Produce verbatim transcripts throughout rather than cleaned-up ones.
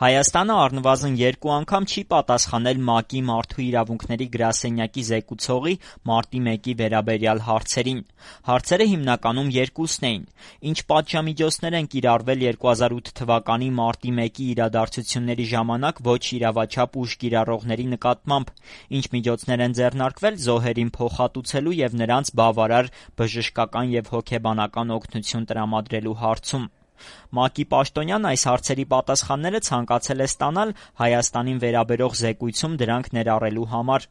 Հայաստանը առնվազն երկու անգամ չի պատասխանել ՄԱԿ-ի Մարդու իրավունքների գրասենյակի զեկուցողի մարտի մեկի վերաբերյալ հարցերին: Հարցերը հիմնականում երկուսն էին. ինչ պատժամիջոցներ են կիրառվել երկու հազար ութ թվականի մարտի մեկի իրադարձությունների ժամանակ ոչ իրավաչափ ուժ կիրառողների նկատմամբ, ինչ միջոցներ են ձեռնարկվել զոհերին փոխհատուցելու և նրանց բավարար բժշկական և հոգեբանական օգնություն տրամադրելու հարցում: ՄԱԿ-ի պաշտոնյան այս հարցերի պատասխանները ցանկացել է ստանալ Հայաստանին վերաբերող զեկույցում դրանք ներառելու համար: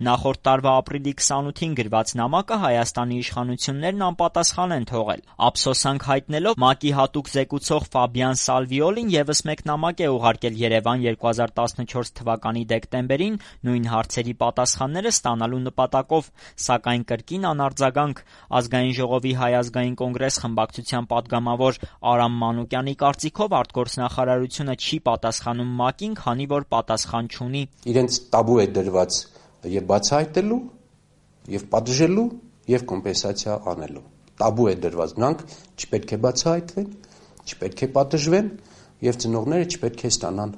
Նախորդ տարվա ապրիլի քսանութին գրված նամակը Հայաստանի իշխանություններն անպատասխան են թողել: Ափսոսանք հայտնելով ՄԱԿ-ի հատուկ զեկուցող Ֆաբիան Սալվիոլին ևս մեկ նամակ է ուղարկել Երևան երկու հազար տասնչորս թվականի դեկտեմբերին նույն հարցերի պատասխանները ստանալու նպատակով, սակայն կրկին անարձագանք: Ազգային ժողովի Հայ ազգային կոնգրես խմբակցության պատգամավոր Արամ Մանուկյանի կարծիքով արտգործնախարարությունը չի պատասխանում ՄԱԿ-ին, քանի որ պատասխան չունի: Իրենց տաբու է դրված և բացահայտելու, և պատժելու, և կոմպենսացիա անելու: Տաբու է դրված, նրանք չպետք է բացահայտվեն, չպետք է պատժվեն և ծնողները չպետք է ստանան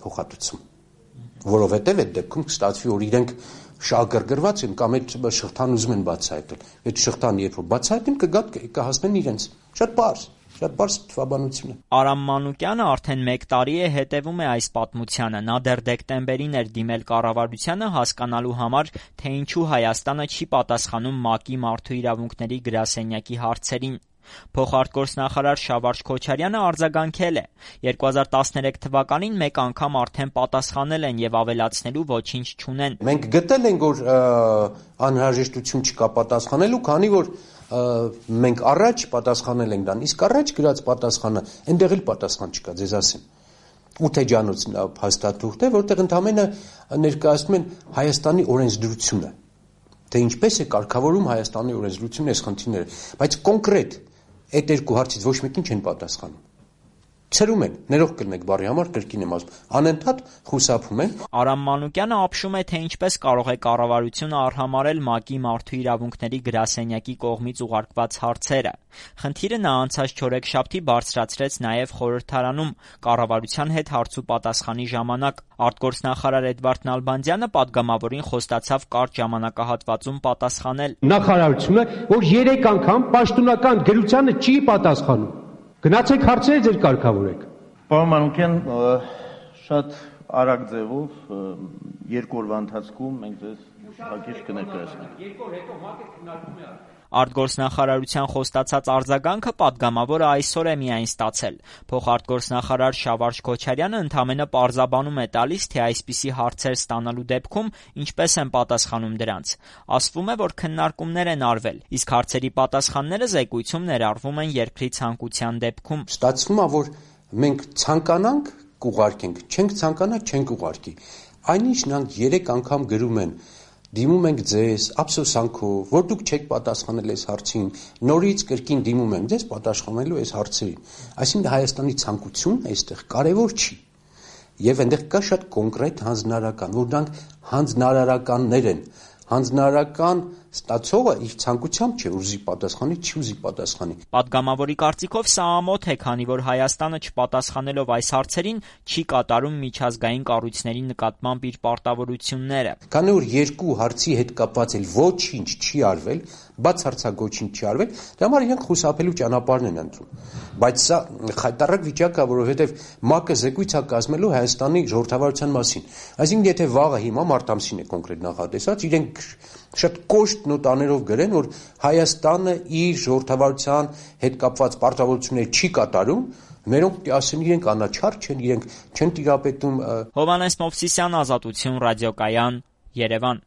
փոխհատուցում: Որովհետև այդ դեպքում կստացվի, որ իրենք շահգրգռված են կամ այդ շղթան ուզում են բացահայտել: Այդ շղթան երբ որ բացահայտեն կհասնեն իրենց: Շատ պարզ, շատ պարզ թվաբանություն է: Արամ Մանուկյանը արդեն մեկ տարի է հետևում է այս պատմությանը: Նա դեռ դեկտեմբերին էր դիմել կառավարությանը հասկանալու համար, թե ինչու Հայաստանը չի պատասխանում ՄԱԿ-ի Մարդու իրավունքների գրասենյակի հարցերին: Փոխարտգործնախարար Շավարշ Քոչարյանը արձագանքել է. երկու հազար տասներեք թվականին մեկ անգամ արդեն պատասխանել են և ավելացնելու ոչինչ չունեն: Մենք գտել ենք, որ անհրաժեշտություն չկա պատասխանելու, քանի որ մենք առաջ պատասխանել ենք դրան, իսկ առաջ գրած պատասխանը այնտեղ էլ պատասխան չկա, ձեզ ասեմ: Ութեջանոց փաստաթուղթ է, որտեղ ընդամենը ներկայացնում են Հայաստանի օրենսդրությունը, թե ինչպես է կարգավորում Հայաստանի օրենսդրությունը այս խնդիրները, բայց կոնկրետ այդ երկու հարցից ոչ մեկին չեն պատասխանում: Ցրում են, ներող կլինեք բառի համար, կրկին եմ ասում, անընդհատ խուսափում են: Արամ Մանուկյանը ապշում է, թե ինչպես կարող է կառավարությունը արհամարհել ՄԱԿ-ի Մարդու իրավունքների գրասենյակի կողմից ուղարկված հարցերը: Խնդիրը նա անցած չորեքշաբթի բարձրացրեց նաև խորհրդարանում, կառավարության հետ հարցուպատասխանի ժամանակ: Արտգործնախարար Էդվարդ Նալբանդյանը պատգամավորին խոստացավ կարճ ժամանակահատվածում պատասխանել: Նախարարությունը, որ երեք անգամ պաշտոնական գրությանը չի պատասխանում: Գնացեք հարցերը ձեր կարգավորեք: Պարոն Մանուկյան, շատ արագ ձևով երկու օրվա ընթացքում մենք ձեզ հակիրճ կներկայացնենք: Արտգործնախարարության խոստացած արձագանքը պատգամավորը այսօր է միայն ստացել: Փոխարտգործնախարար Շավարշ Քոչարյանը ընդամենը պարզաբանում է տալիս, թե այսպիսի հարցեր ստանալու դեպքում ինչպես են պատասխանում դրանց: Ասվում է, որ քննարկումներ են արվել, իսկ հարցերի պատասխանները զեկույցում ներառվում են երկրի ցանկության դեպքում: Ստացվում է, որ մենք ցանկանանք կուղարկենք, չենք ցանկանա չենք ուղարկի: Այնինչ նրանք երեք անգամ գրում են, դիմում ենք ձեզ ափսոսանքով, որ դուք չեք պատասխանել այս հարցին, նորից կրկին դիմում ենք ձեզ պատասխանելու այս հարցերին: Այսինքն Հայաստանի ցանկությունն այստեղ կարևոր չի: Եվ այնտեղ կա շատ կոնկրետ հանձնարարական, որ դրանք հանձնարարականներ են: Հանձնարարական ստացողը իր ցանկությամբ չէ, որ ուզի պատասխանի, չի ուզի պատասխանի: Պատգամավորի կարծիքով սա ամոթ է, քանի որ Հայաստանը չպատասխանելով այս հարցերին չի կատարում միջազգային կառույցների նկատմամբ իր պարտավորությունները: Քանի որ երկու հարցի հետ կապված էլ ոչինչ չի արվել, բացարձակ ոչինչ չի արվել, դրա համար իրենք խուսափելու ճանապարհն են ընտրում: Բայց սա խայտառակ վիճակ է, որովհետև ՄԱԿ-ը զեկույց է կազմելու Հայաստանի ժողովրդավարության մասին: Այսինքն եթե վաղը հիմա մարտ ամսին է կոնկրետ նախատեսված, իրենք շատ կոշտ նոտաներով գրեն, որ Հայաստանը իր ժողովրդավարության հետ կապված պարտավորությունները չի կատարում, մերոնք պիտի ասեն իրենք անաչառ չեն, իրենք չեն տիրապետում: Հովհաննես Մովսիսյան, Ազատություն, Ռադիոկայան, Երևան: